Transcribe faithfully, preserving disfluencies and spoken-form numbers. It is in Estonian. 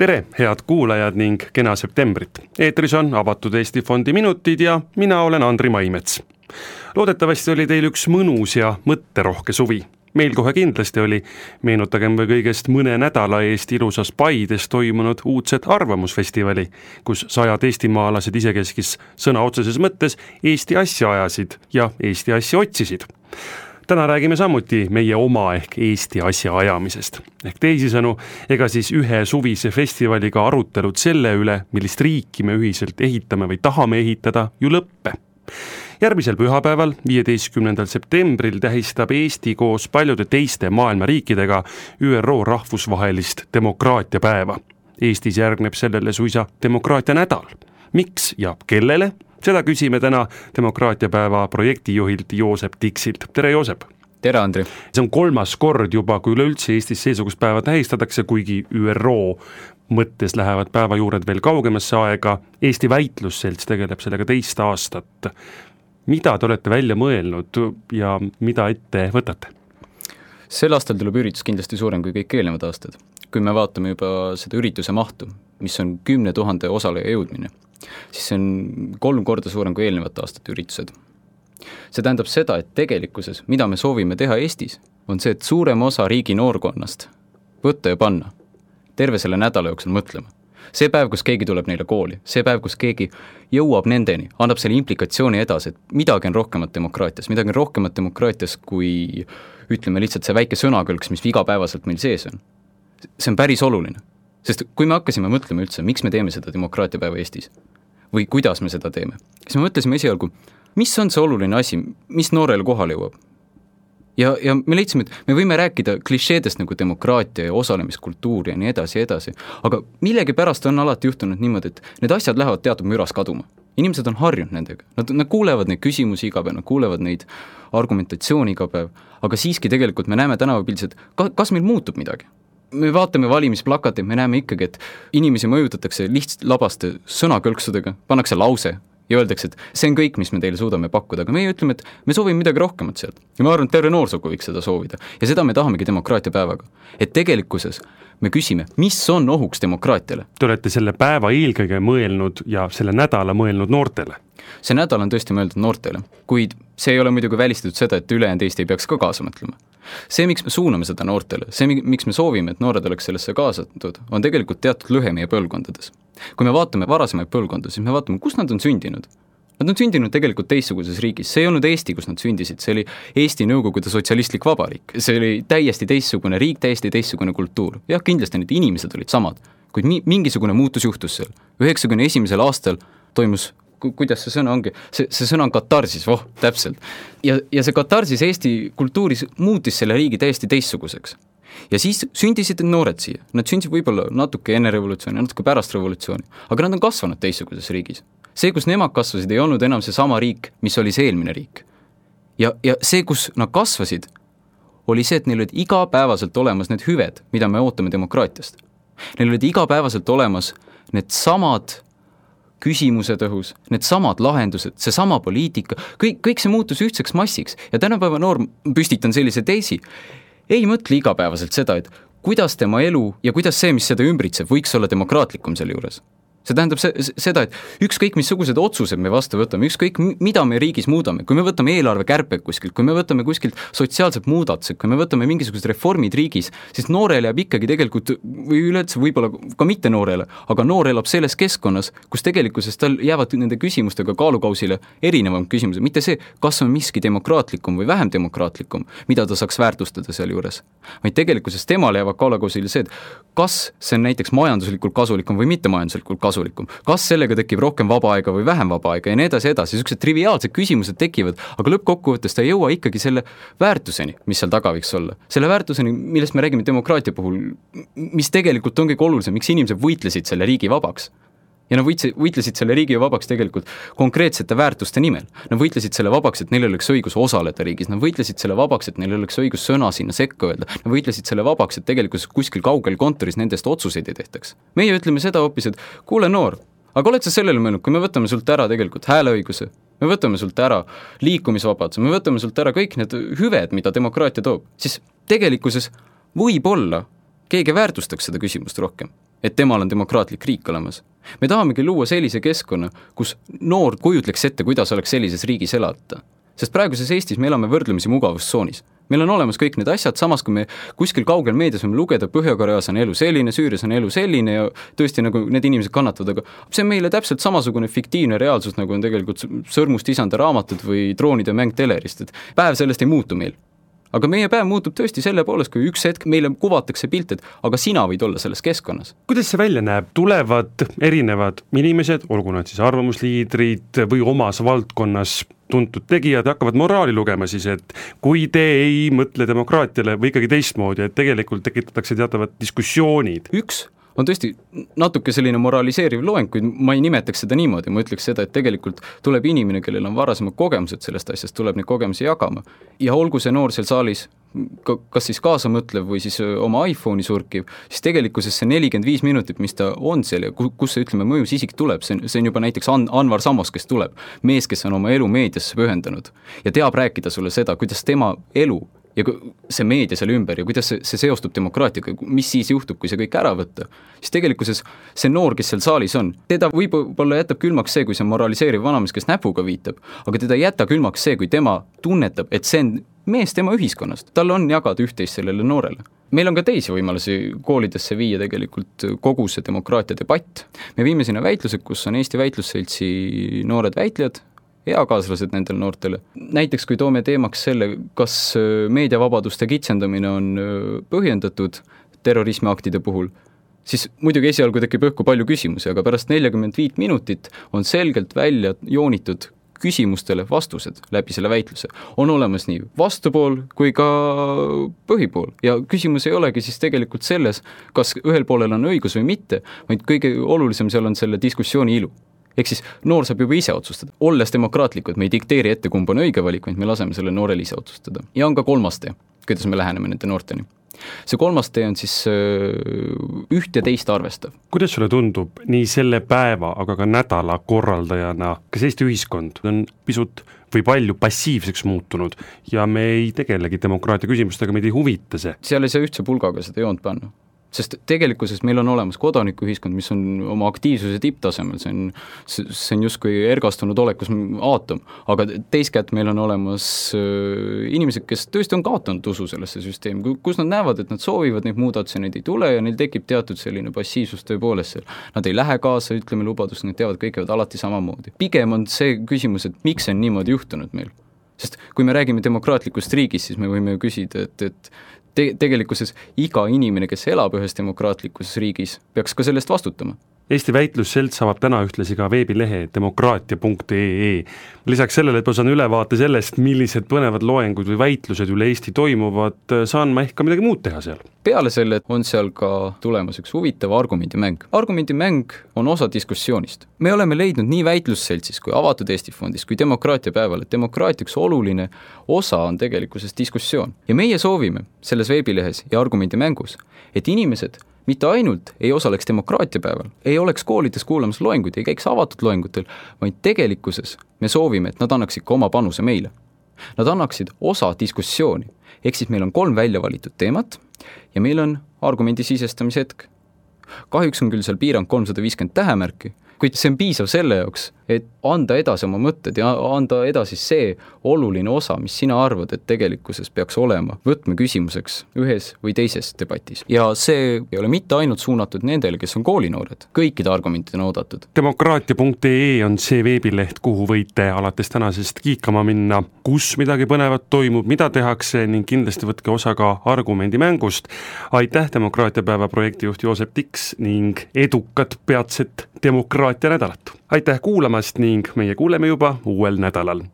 tere, head kuulajad ning kena septembrit. Eetris on Avatud Eesti Fondi minutid ja mina olen Andri Maimets. Loodetavasti oli teil üks mõnus ja mõtterohke suvi. Meil kohe kindlasti oli, meenutagem või kõigest mõne nädala eest ilusas Paides toimunud uudset arvamusfestivali, kus sajad eestimaalased isekeskis sõna otseses mõttes Eesti asja ajasid ja Eesti asja otsisid. Täna räägime samuti meie oma ehk Eesti asja ajamisest. Ehk teisisõnu, ega siis ühe suvise festivaliga arutelud selle üle, millist riiki me ühiselt ehitame või tahame ehitada, ju lõppe. Järgmisel pühapäeval, viieteistkümnendal septembril tähistab Eesti koos paljude teiste maailma riikidega Ü R O rahvusvahelist demokraatiapäeva. Eestis järgneb sellele suisa demokraatia nädal. Miks ja kellele? Seda küsime täna demokraatiapäeva projektijuhilt Joosep Tiksilt. Tere, Joosep! Tere, Andri! See on kolmas kord juba, kui üleüldse Eestis seesugust päeva tähistatakse, kuigi Ü R O mõttes lähevad päeva juured veel kaugemasse aega. Eesti väitlusselts tegeleb sellega teist aastat. Mida te olete välja mõelnud ja mida ette võtate? Sel aastal tuleb üritus kindlasti suurem kui kõik eelnevad aastad. Kui me vaatame juba seda ürituse mahtu, mis on kümne tuhande osaleja jõudmine, siis see on kolm korda suurem kui eelnevate aastate üritused. See tähendab seda, et tegelikkuses, mida me soovime teha Eestis, on see, et suurem osa riigi noorkonnast võtta ja panna terve selle nädala jooksul mõtlema. See päev, kus keegi tuleb neile kooli, see päev, kus keegi jõuab nendeni, annab selle implikatsiooni edasi, et midagi on rohkemat demokraatias, midagi on rohkemat demokraatias kui, ütleme lihtsalt see väike sõnakõlks, mis igapäevaselt meil sees on. See on päris oluline, sest kui me hakkasime mõtlema üldse, miks me teeme seda demokraatiapäeva Eestis või kuidas me seda teeme, siis me mõtlesime esialgu, mis on see oluline asi, mis noorele kohale jõuab. Ja, ja me leidsime, et me võime rääkida klišeedest nagu demokraatia ja osalemiskultuur ja nii edasi ja edasi, aga millegi pärast on alati juhtunud niimoodi, et need asjad lähevad teatud müras kaduma. Inimesed on harjunud nendega, nad, nad kuulevad neid küsimusi iga päev, nad kuulevad neid argumentatsiooni iga päev, aga siiski tegelikult me näeme tänavapildis, et kas meil muutub midagi. Me vaatame valimisplakateid, me näeme ikkagi, et inimesi mõjutatakse lihtsalt labaste sõnakõlksudega, pannakse lause ja öeldakse, et see on kõik, mis me teile suudame pakkuda, aga meie ütleme, et me soovime midagi rohkemat sealt. Ja ma arvan, et terve noorsugu võiks seda soovida. Ja seda me tahamegi demokraatiapäevaga. Et tegelikkuses me küsime, mis on ohuks demokraatiale? Te olete selle päeva eelkõige mõelnud ja selle nädala mõelnud noortele. See nädal on tõesti mõeldud noortele, kuid see ei ole muidugi välistatud seda, et ülejäänud Eesti ei peaks ka kaasa mõtlema. See, miks me suuname seda noortele, see, miks me soovime, et noored oleks sellesse kaasatud, on tegelikult teatud lõhe meie põlvkondades. Kui me vaatame varasemaid põlvkonda, siis me vaatame, kus nad on sündinud. Nad on sündinud tegelikult teistsuguses riigis. See ei olnud Eesti, kus nad sündisid. See oli Eesti Nõukogude sotsialistlik vabariik. See oli täiesti teistsugune riik, täiesti teistsugune kultuur. Jah, kindlasti need inimesed olid samad, kuid mingisugune muutus juhtus seal. üheksakümne esimesel aastal toimus, kuidas see sõna ongi, see, see sõna on katarsis, voh, täpselt. Ja, ja see katarsis Eesti kultuuris muutis selle riigi täiesti teistsuguseks. Ja siis sündisid noored siia. Nad sündisid võib-olla natuke enne revolutsiooni, natuke pärast revolutsiooni, aga nad on kasvanud teistsuguses riigis. See, kus nemad kasvasid, ei olnud enam see sama riik, mis oli see eelmine riik. Ja, ja see, kus nad kasvasid, oli see, et neil olid igapäevaselt olemas need hüved, mida me ootame demokraatiast. Neil olid igapäevaselt olemas need samad küsimused õhus, need samad lahendused, see sama poliitika, kõik, kõik see muutus ühtseks massiks. Ja tänapäeva noor püstitan sellise teisi, ei mõtle igapäevaselt seda, et kuidas tema elu ja kuidas see, mis seda ümbritseb, võiks olla demokraatlikum selle juures. See tähendab seda, et ükskõik missugused otsused me vastu võtame, ükskõik mida me riigis muudame, kui me võtame eelarve kärped kuskilt, kui me võtame kuskilt sotsiaalsed muudatused, kui me võtame mingisugused reformid riigis, siis noorele jääb ikkagi tegelikult, või üleüldse võib-olla ka mitte noorele, aga noor elab selles keskkonnas, kus tegelikkuses tal jäävad nende küsimustega kaalukausile erinevam küsimused, mitte see, kas on miski demokraatlikum või vähem demokraatlikum, mida ta saaks väärtustada seal juures. Vaid tegelikkuses temale jäävad kaalukausile see, et kas see on näiteks majanduslikult kasulikum või mitte majanduslikult kasulikum. Kas sellega tekib rohkem vaba aega või vähem vaba aega ja nii edasi edasi. Sellised triviaalsed küsimused tekivad, aga lõppkokkuvõttes ta ei jõua ikkagi selle väärtuseni, mis seal taga võiks olla. Selle väärtuseni, millest me räägime demokraatia puhul, mis tegelikult on kõige olulisem, miks inimesed võitlesid selle riigi vabaks. Ja nad võitlesid selle riigi vabaks tegelikult konkreetsete väärtuste nimel. Nad võitlesid selle vabaks, et neil oleks õigus osaleda riigis. Nad võitlesid selle vabaks, et neil oleks õigus sõna sinna sekka öelda. Nad võitlesid selle vabaks, et tegelikult kuskil kaugel kontoris nendest otsuseid ei tehtaks. Meie ütleme seda hoopis, et kuule noor, aga oled sa sellele mõelnud, kui me võtame sult ära tegelikult hääleõiguse, me võtame sult ära liikumisvabaduse, me võtame sult ära kõik need hüved, mida demokraatia toob, siis tegelikkuses võib-olla keegi väärtustaks seda küsimust rohkem. et temal on demokraatlik riik olemas. Me tahamegi luua sellise keskkonna, kus noor kujutleks ette, kuidas oleks sellises riigis elata. Sest praeguses Eestis me elame võrdlemisi mugavustsoonis. Meil on olemas kõik need asjad, samas kui me kuskil kaugel meedias võime lugeda, Põhja-Koreas on elu selline, Süürias on elu selline ja tõesti nagu need inimesed kannatavad, aga see on meile täpselt samasugune fiktiivne reaalsus, nagu on tegelikult Sõrmust isanda raamatud või Droonide mäng telerist, et päev sellest ei muutu meil. Aga meie päev muutub tõesti selle poolest, kui üks hetk meile kuvatakse pilt, et aga sina võid olla selles keskkonnas. Kuidas see välja näeb? Tulevad erinevad inimesed, olgu nad siis arvamusliidrid või omas valdkonnas tuntud tegijad, hakkavad moraali lugema siis, et kui te ei mõtle demokraatiale või ikkagi teistmoodi, et tegelikult tekitatakse teatavad diskussioonid. Üks on tõesti natuke selline moraliseeriv loeng, kuid ma ei nimetaks seda niimoodi, ma ütleks seda, et tegelikult tuleb inimene, kellel on varasemad kogemused sellest asjast, tuleb neid kogemusi jagama. Ja olgu see noor seal saalis, kas siis kaasamõtlev või siis oma iPhone'i surkiv, siis tegelikkuses see nelikümmend viis minutit, mis ta on seal ja kus see, ütleme, mõjus isik tuleb, see on, see on juba näiteks An- Anvar Samos, kes tuleb, mees, kes on oma elu meediasse pühendanud ja teab rääkida sulle seda, kuidas tema elu ja see meedia seal ümber ja kuidas see, see seostub demokraatiaga, mis siis juhtub, kui see kõik ära võtta, siis tegelikkuses see noor, kes seal saalis on, teda võib-olla jätab külmaks see, kui see moraliseeriv vanamees, kes näpuga viitab, aga teda jätta külmaks see, kui tema tunnetab, et see on mees tema ühiskonnast, tal on jagada üht-teist sellele noorele. Meil on ka teisi võimalusi koolidesse viia tegelikult kogu see demokraatia debatt. Me viime sinna väitlused, kus on Eesti Väitlusseltsi noored väitlejad, eakaaslased nendel noortele. Näiteks kui toome teemaks selle, kas meediavabaduste kitsendamine on põhjendatud terrorismiaktide puhul, siis muidugi esialgu tekib õhku palju küsimusi, aga pärast nelikümmend viis minutit on selgelt välja joonitud küsimustele vastused läbi selle väitluse. On olemas nii vastupool kui ka põhipool ja küsimus ei olegi siis tegelikult selles, kas ühel poolel on õigus või mitte, vaid kõige olulisem seal on selle diskussiooni ilu. Ehk siis noor saab juba ise otsustada. Olles demokraatlikud, me ei dikteeri ette, kumb on õige valik, vaid me laseme selle noorel ise otsustada. Ja on ka kolmas tee, kuidas me läheneme nende noorteni. See kolmas tee on siis üht ja teist arvestav. Kuidas sulle tundub nii selle päeva, aga ka nädala korraldajana, kas Eesti ühiskond on pisut või palju passiivseks muutunud ja me ei tegelegi demokraatia küsimustega, meid ei huvita see? Seal ei saa ühtse pulgaga seda joont panna. Sest tegelikkuses meil on olemas kodanikuühiskond, mis on oma aktiivsuse tipptasemel, see on, see on justkui ergastunud olekus aatom, aga teiskätt meil on olemas inimesed, kes tõesti on kaotanud usu sellesse süsteemi, kus nad näevad, et nad soovivad neid muudatusi, neid ei tule ja neil tekib teatud selline passiivsus tõepoolest seal. Nad ei lähe kaasa, ütleme lubadust, nad teavad, kõik käivad alati samamoodi. Pigem on see küsimus, et miks on niimoodi juhtunud meil? Sest kui me räägime demokraatlikust riigist, siis me võime küsida, et, et Te- tegelikkuses iga inimene, kes elab ühes demokraatlikus riigis, peaks ka sellest vastutama. Eesti Väitlusselts avab täna ühtlasi ka veebilehe demokraatia punkt ee. Lisaks sellele, et ma saan ülevaate sellest, millised põnevad loengud või väitlused üle Eesti toimuvad, saan ma ehk ka midagi muud teha seal. Peale selle on seal ka tulemas üks huvitav argumendimäng. Argumendimäng on osa diskussioonist. Me oleme leidnud nii Väitlusseltsis kui Avatud Eesti fondis kui demokraatia päeval, et demokraatiaks oluline osa on tegelikkuses diskussioon. Ja meie soovime selles veebilehes ja argumendimängus, et inimesed mitte ainult ei osaleks demokraatia päeval, ei oleks koolides kuulamas loenguid, ei käiks avatud loengutel, vaid tegelikkuses me soovime, et nad annaksid ka oma panuse meile. Nad annaksid osa diskussiooni, ehk siis meil on kolm välja valitud teemat ja meil on argumendi sisestamise hetk. Kahjuks on küll seal piirang kolmsada viiskümmend tähemärki, kuid see on piisav selle jaoks, et anda edasi oma mõtted ja anda edasi see oluline osa, mis sina arvad, et tegelikkuses peaks olema võtmeküsimuseks ühes või teises debatis. Ja see ei ole mitte ainult suunatud nendele, kes on koolinoored, kõikide argumentid on oodatud. demokraatia punkt ee on see veebileht, kuhu võite alates tänasest kiikama minna, kus midagi põnevat toimub, mida tehakse ning kindlasti võtke osa ka argumendimängust. Aitäh demokraatiapäeva projektijuht Joosep Tiks ning edukat peatset demokraatia nädalat. Aitäh kuulamast ning meie kuuleme juba uuel nädalal.